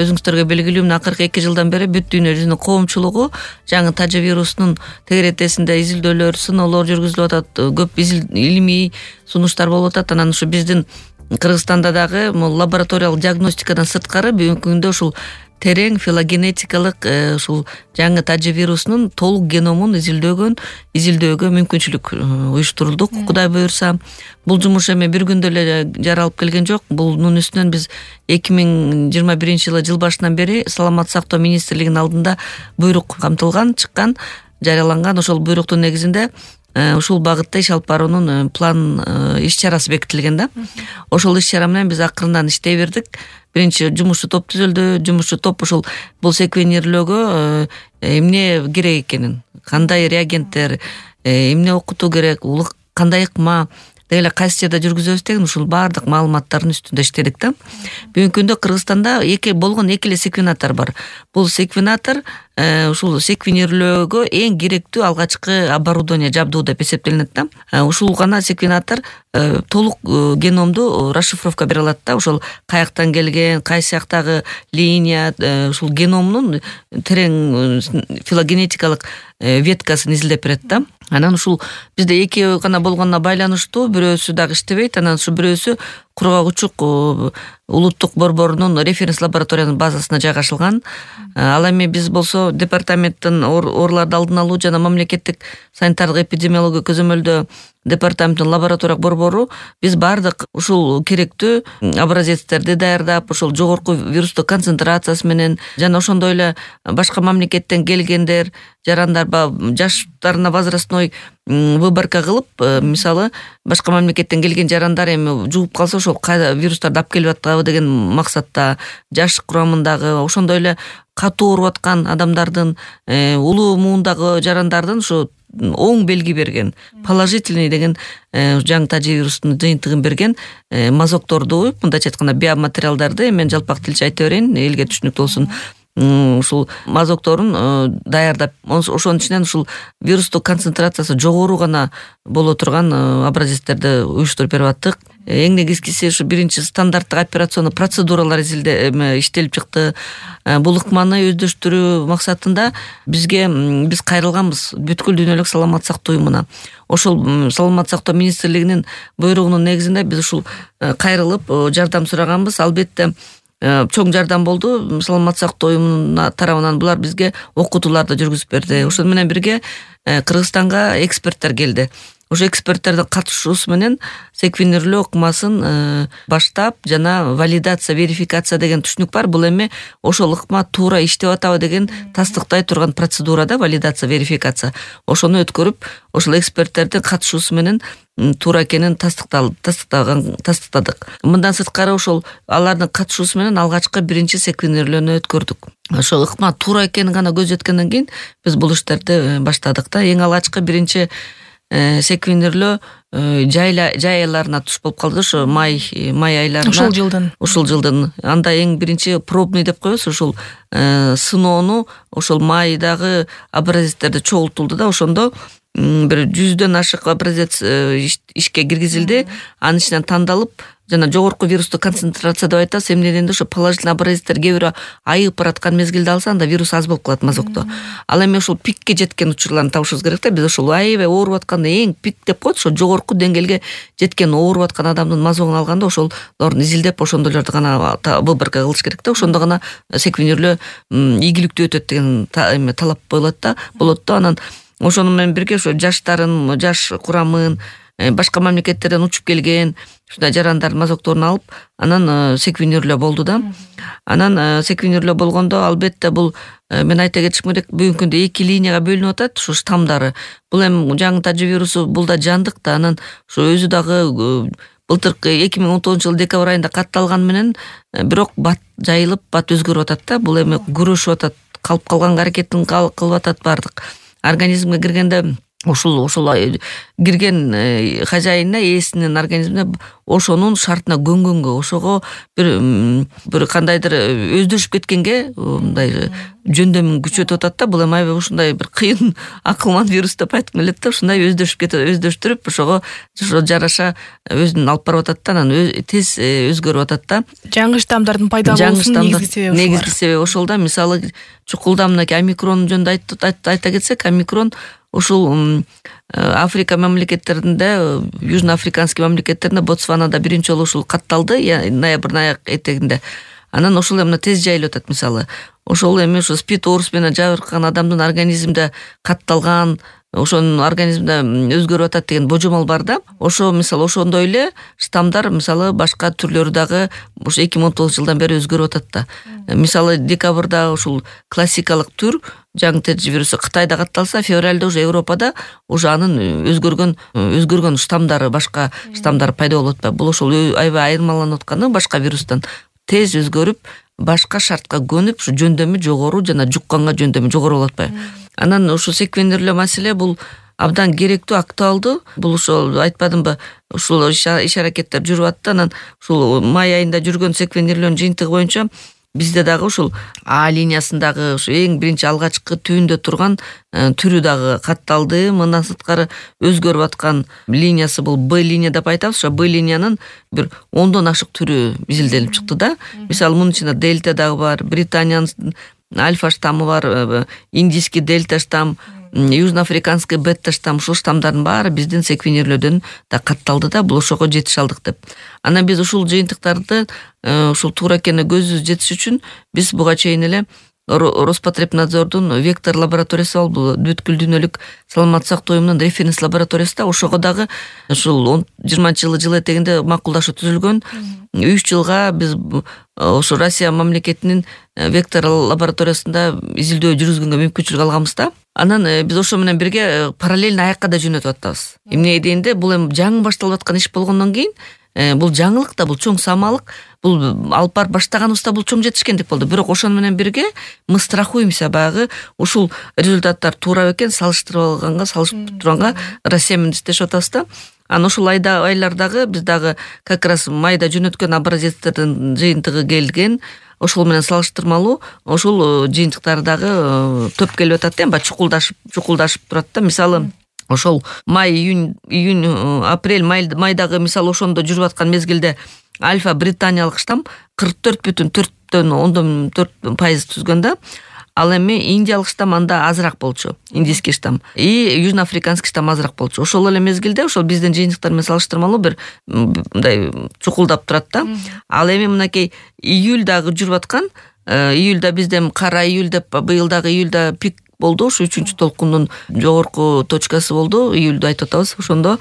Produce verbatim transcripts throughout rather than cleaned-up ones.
өзүңүздөргө белгилүү мына акыркы эки жылдан бери бүт дүйнө жүзүнүн коомчулугу жаңы тажы вирусунун тегеретесинде изилдөөлөр, сыноолор жүргүзүлүп атат, көп илимий сунуштар болуп атат. Анан ушу биздин Кыргызстанда дагы лабораториялык диагностикадан сырткары бүгүнкү күндө ушул терең филогенетикалык ушул жаңы тажы вирусунун толук геномун изилдөөгөн изилдөөгө мүмкүнчүлүк уюштурулдук. Кудай буюрса, бул жумуш эми бир күндө эле жаралып келген жок. Бунун үстүнөн биз эки миң жыйырма биринчи жылы жыл башынан бери Саламаттык сактоо министрлигинин алдында буйрук камтылган, чыккан, жарыяланган. Ошол буйруктун негизинде ушул багытта иш алып баруунун план иш чарасы бекитилген да. Ошол иш чара менен биз акырындан иштей бердик. Биринчи жумушчу топ түзүлдү. Жумушчу топ ушул бул секвенирлөөгө эмне керек экенин, кандай реагенттер, эмне окутуу керек, улук кандай ыкма, деги эле кайсы жерде жүргүзөбүз деген ушул баардык маалыматтардын үстүндө иштедик да. Бүгүнкү күндө Кыргызстанда эки болгон эки эле секвенатор бар. Бул секвенатор ушул секвенирлөөгө эң керектүү алгачкы оборудование, жабдуу деп эсептелинет да. Ушул гана секвенатор толук геномду расшифровка бере алат да. Ошол каяктан келген, кайсы жактагы линия, ушул геномдун терең филогенетикалык веткасын изилдеп берет да. Анан ушул бизде эки гана болгонуна байланыштуу бирөөсү дагы иштебейт. Анан ушу бирөөсү Кургак учук улуттук борборунун референс лабораториянын базасына жайгашылган. Ал эми биз болсо департаменттин ооруларды алдын алуу жана мамлекеттик санитардык эпидемиология көзөмөлдөө департаменттин лабораториялык борбору биз баардык ушул керектүү образецтерди даярдап, ошол жогорку вирустук концентрациясы менен жана ошондой эле башка мамлекеттен келгендер, жарандар жаштарына возрастной выборка кылып, мисалы башка мамлекеттен келген жарандар эми жугуп калса ошол кайда вирустарды алып келип атабы деген максатта, жаш курамындагы, ошондой эле катуу ооруп аткан адамдардын, улуу муундагы жарандардын ушу оң белги берген, положительный деген жаңы тажы вирусунун жыйынтыгын берген мазокторду, мындайча айтканда биоматериалдарды мен жалпак тилче айта берейин, элге түшүнүктүү болсун. Ушул мазокторун даярдап, ошонун ичинен ушул вирустук концентрациясы жогору гана боло турган образецтерди уюштуруп берип аттык. Эң негизгиси ушу биринчи стандарттык операционный процедуралар иштелип чыкты. Бул ыкманы өздөштүрүү максатында бизге биз кайрылганбыз бүткүл дүйнөлүк саламаттык сактоо уюмуна. Ошол Саламаттык сактоо министрлигинин буйругунун негизинде биз ушул кайрылып жардам сураганбыз. Албетте чоң жардам болду Саламаттык сактоо уюмунун тарабынан. Булар бизге окутууларды жүргүзүп берди. Ошол менен бирге Кыргызстанга эксперттер келди. Ошо эксперттердин катышуусу менен секвенирлөө ыкмасын баштап жана валидация, верификация деген түшүнүк бар. Бул эми ошол ыкма туура иштеп атабы деген тастыктай турган процедура да, валидация, верификация. Ошону өткөрүп, ошол эксперттердин катышуусу менен туура экенин тастыктаган тастыктадык. Мындан сырткары ошол алардын катышуусу менен алгачкы биринчи секвенирлөөнү өткөрдүк. Ошол ыкма туура экенин гана көз жеткенден кийин биз бул иштерди баштадык да. Эң алгачкы биринчи секвенирлөө жай айларына туш болуп калды, ошо май май айларына. Ушул жылдын. Ушул жылдын. Анда эң биринчи пробный деп коебуз, ушул сыноону ошол майдагы образецтерди чогултулду да. Ошондо бир жүздөн ашык образец ишке киргизилди. Анын ичинен тандалып, жана жогорку вирустук концентрация деп айтабыз. Эмне дегенде ошо положительный образецтер кээ бирөө айып бараткан мезгилде алса, анда вирус аз болуп калат мазокто. Ал эми ошол пикке жеткен учурларны табышыбыз керек да. Биз ошол аябай ооруп атканда эң пик деп коет, ошо жогорку деңгээлге жеткен ооруп аткан адамдын мазогун алганда ошолорду изилдеп, ошондойлорду гана выборка кылыш керек да. Ошондо гана секвенирлөө ийгиликтүү өтөт деген талап коюлат да, болот да. Анан ошону менен бирге ошо жаштарын, жаш курамын, башка мамлекеттерден учуп келген ушундай жарандардын мазокторун алып, анан секвенирлөө болду да. Анан секвенирлөө болгондо албетте бул мен айта кетишим керек, бүгүнкү күндө эки линияга бөлүнүп атат ушу штамдары. Бул эми жаңы тажы вирусу бул да жандык да. Анан ошо өзү дагы былтыркы эки миң он тогузунчу жылы декабрь айында катталган менен бирок бат жайылып, бат өзгөрүп атат да. Бул эми күрөшүп атат, калып калганга аракетин кылып атат бардык. Организмге киргенде ушул ошол кирген хожайынына, ээсинин организмине ошонун шартына көнгөнгө, ошого бир бир кандайдыр өздөшүп кеткенге мындай жөндөмүн күчөтүп атат да. Бул эми аябай ушундай бир кыйын акылман вирус деп айткым келет да. Ушундай өздөшүп кетип, өздөштүрүп ошого ошо жараша өзүн алып барып атат да, анан тез өзгөрүп атат да. Жаңы штаммдардын пайда болуусунун негизги себеби негизги себеби ошол да. Мисалы чукулда мынакей омикрон жөнүндө айта кетсек, омикрон ушул Африка мамлекеттеринде, южноафриканский мамлекеттеринде, Ботсванада биринчи жолу ушул катталды ноябрдын аяк этегинде. Анан ошол эми тез жайылып атат. Мисалы ошол эми ушу спид оорусу менен жабыркаган адамдын организминде катталган, ошонун организминде өзгөрүп атат деген божомол бар да. Ошо мисалы ошондой эле штаммдар мисалы башка түрлөрү дагы ошо эки миң он тогузунчу жылдан бери өзгөрүп атат да. Мисалы декабрда ушул классикалык түр жаңы ТЖ вирусу Кытайда катталса, февралда уже Европада уже анын өзгөргөн өзгөргөн штаммдары, башка штаммдар пайда болуп атпайбы. Бул ошол аябай айырмаланып атканы башка вирустан тез өзгөрүп, башка шартка көнүп, ушу жөндөмү жогору жана жукканга жөндөмү жогору болуп атпайбы. Анан ушу секвенерлөө маселе бул абдан керектүү, актуалдуу. Бул ошол айтпадымбы, ушул иш-аракеттер жүрүп атты. Анан ушул май айында жүргөн секвенерлөөнүн жыйынтыгы боюнча бизде дагы ушул А линиясындагы ушу эң биринчи алгачкы түбүндө турган түрү дагы катталды. Мындан сырткары өзгөрүп аткан линиясы бул Б линия деп айтабыз. Ошо Б линиянын бир ондон ашык түрү изилденип чыкты да. Мисалы мунун ичинде дельта дагы бар, Британиянын альфа штаммы бар, индийский дельта штамм, южноафриканский бета штамм, ушул штаммдардын баары биздин секвенерлөөдөн да катталды да. Бул ошого жетише алдык деп. Анан биз ушул жыйынтыктарды ушул туура экенине көзүбүз жетиш үчүн биз буга чейин эле Роспотребнадзордун вектор лабораториясы бар, бул бүткүл дүйнөлүк саламаттык сактоо уюмунун референс лабораториясы да. Ошого дагы ушул жыйырманчы жылы жыл этегинде макулдашуу түзүлгөн. үч жылга биз ошо Россия мамлекетинин вектор лабораториясында изилдөө жүргүзгөнгө мүмкүнчүлүк алганбыз да. Анан биз ошо менен бирге параллельно аякка да жөнөтүп атабыз. Эмне дегенде бул эми жаңы башталып аткан иш болгондон кийин бул жаңылык да, бул чоң самалык, бул алып барып баштаганыбызда бул чоң жетишкендик болду. Бирок ошону менен бирге мы страхуемся, баягы ушул результаттар туура экен, салыштырып алганга, салыштырып турганга Россия менен иштешип атабыз да. Анан ушул айда айлардагы биз дагы как раз майда жөнөткөн образецтердин жыйынтыгы келген. Ошол менен салыштырмалуу ошол жыйынтыктар дагы төп келип атат да, баягы чукулдашып, чукулдашып турат да. Мисалы ошол май, июнь, июнь, апрель, майдагы мисалы ошондо жүрүп аткан мезгилде альфа британиялык штамм кырк төрт бүтүн төрттөн ондон төрт пайыз түзгөн да. Ал эми индиялык штамм анда азыраак болчу, индийский штамм. И южноафриканский штамм азыраак болчу. Ошол эле мезгилде ошол биздин жыйынтыктар менен салыштырмалуу бир мындай чукулдап турат да. Ал эми мынакей июльдагы жүрүп аткан, июльда бизде кара июль деп быйылдагы июльда пик болду. Ушу үчүнчү толкундун жогорку точкасы болду. Июльдү айтып атабыз. Ошондо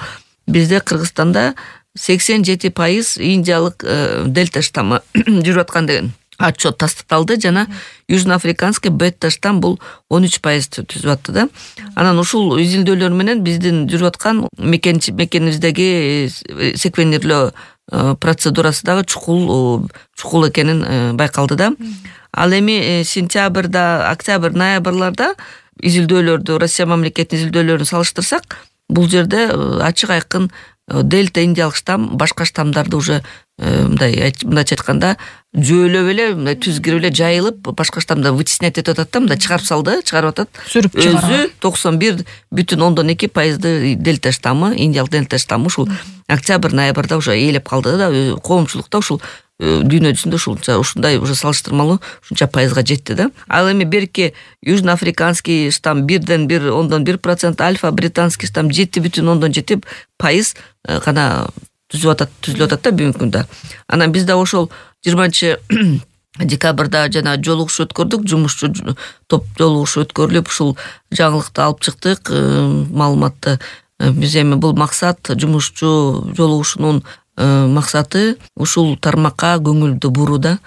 бизде Кыргызстанда сексен жети пайыз индиялык дельта штаммы жүрүп аткан деген отчет тастыкталды. Жана южноафриканский бета штамм бул он үч пайыз түзүп атты да. Анан ушул изилдөөлөр менен биздин жүрүп аткан мекенибиздеги секвенерлөө процедурасы дагы чукул чукул экенин байкалды да. Ал эми сентябрда, октябрь, ноябрларда изилдөөлөрдү, Россия мамлекетинин изилдөөлөрүн салыштырсак, бул жерде ачык айкын дельта индиялык штамм башка штаммдарды уже мындай мындайча айтканда жөөлөп эле, мындай түз кирип эле жайылып, башка штаммда вытеснять этип атат да, мындай чыгарып салды, чыгарып атат. Өзү токсон бир бүтүн ондон эки пайызды дельта штаммы, индиялык дельта штаммы ушул октябрь, ноябрда уже ээлеп калды да, коомчулукта ушул дүйнө жүзүндө ушунча ушундай уже салыштырмалуу ушунча пайызга жетти да. Ал эми берки южноафриканский штамм бирден бир ондон бир процент, альфа британский штамм жети бүтүн ондон жети пайыз гана түзүп атат, түзүлүп атат да бүгүнкү күндө. Анан биз да ошол жыйырманчы декабрда жана жолугушуу өткөрдүк, жумушчу топ жолугушуу өткөрүлүп, ушул жаңылыкты алып чыктык, маалыматты. Биз эми бул максат, жумушчу жолугушуунун максаты ушул тармакка көңүлдү бурууда.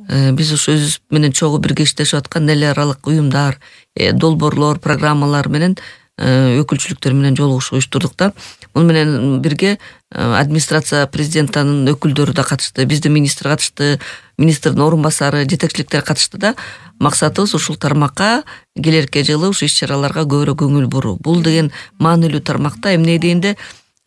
Биз ушу өзүбүз менен чогуу бирге иштешип аткан эл аралык уюмдар, долбоорлор, программалар менен өкүлчүлүктөр менен жолугушуу уюштурдук да. Муну менен бирге администрация президентинин өкүлдөрү да катышты, биздин министр катышты, министрдин орун басары, жетекчиликтер катышты да. Максатыбыз ушул тармакка келерки жылы ушу иш-чараларга көбүрөөк көңүл буруу. Бул деген маанилүү тармакта эмне дегенде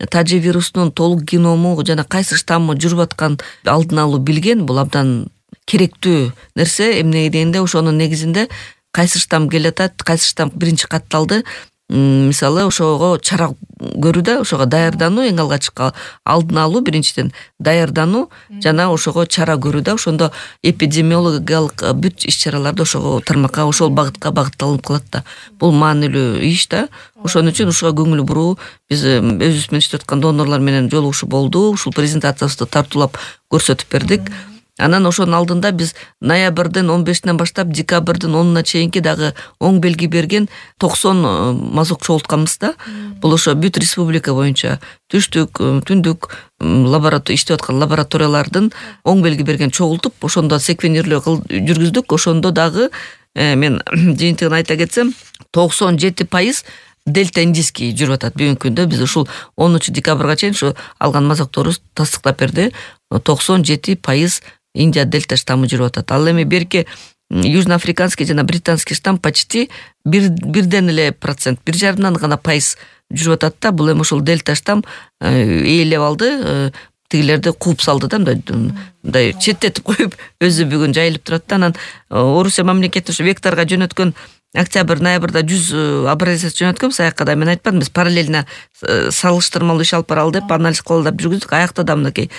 тажи вирусунун толук геному жана кайсы штаммы жүрүп аткан алдын алуу билген, бул абдан керектүү нерсе. Эмне дегенде ошонун негизинде кайсы штамм келатат, кайсы штамм биринчи катталды, мисалы ошого чара көрүү да, ошого даярдануу, эң алгачкы алдын алуу, биринчиден даярдануу жана ошого чара көрүү да. Ошондо эпидемиологиялык бүт иш-чараларды ошого тармакка, ошол багытка багытталып калат да. Бул маанилүү иш да. Ошон үчүн ушуга көңүл буруу, биз өзүбүз менен иштеп аткан донорлор менен жолугушуу болду. Ушул презентациябызды тартуулап көрсөтүп бердик. Анан ошонун алдында биз ноябрдын он бешинен баштап декабрдын онуна чейинки дагы оң белги берген токсон мазок чогултканбыз да. Бул ошо бүт республика боюнча түштүк, түндүк лаборатория иштеп аткан лабораториялардын оң белги берген чогултуп, ошондо секвенерлөө жүргүздүк. Ошондо дагы мен жыйынтыгын айта кетсем, токсон жети пайыз дельта индийский жүрүп атат. Бүгүнкү күндө биз ушул онунчу декабрга чейин ушу алган мазокторубуз тастыктап берди. токсон жети пайыз Индия дельта штаммы жүрүп атат. Ал эми берки южноафриканский жана британский штамм почти бир бирден эле процент, бир жарымдан гана пайыз жүрүп атат да. Бул эми ошол дельта штамм ээлеп алды, тигилерди кууп салды да, мындай четтетип коюп, өзү бүгүн жайылып турат да. Анан Орусия мамлекети ушу векторго жөнөткөн октябрь, ноябрда жүз образец жөнөткөнбүз. Аякка да мен айтпадым, биз параллельно салыштырмалуу иш алып баралы деп анализ кылалы деп жүргүздүк. Аякта да мынакей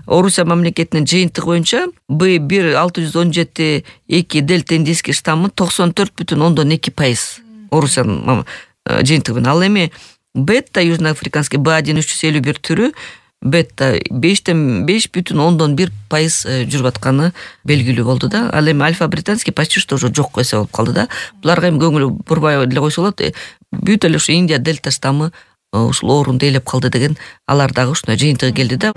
Орусия мамлекетинин жыйынтыгы боюнча Б бир алты жүз он жети эки дельта индийский штаммы токсон төрт бүтүн ондон эки пайыз Орусиянын жыйынтыгы менен. Ал эми бета южноафриканский Б один үч жүз элүү бир түрү бета бештен беш бүтүн ондон бир пайыз жүрүп атканы белгилүү болду да. Ал эми альфа британский почти что уже жок эсе болуп калды да. Буларга эми көңүл бурбай эле койсо болот. Бүт эле ушу Индия дельта штаммы ушул оорунду ээлеп калды деген алар дагы ушундай жыйынтыгы келди да.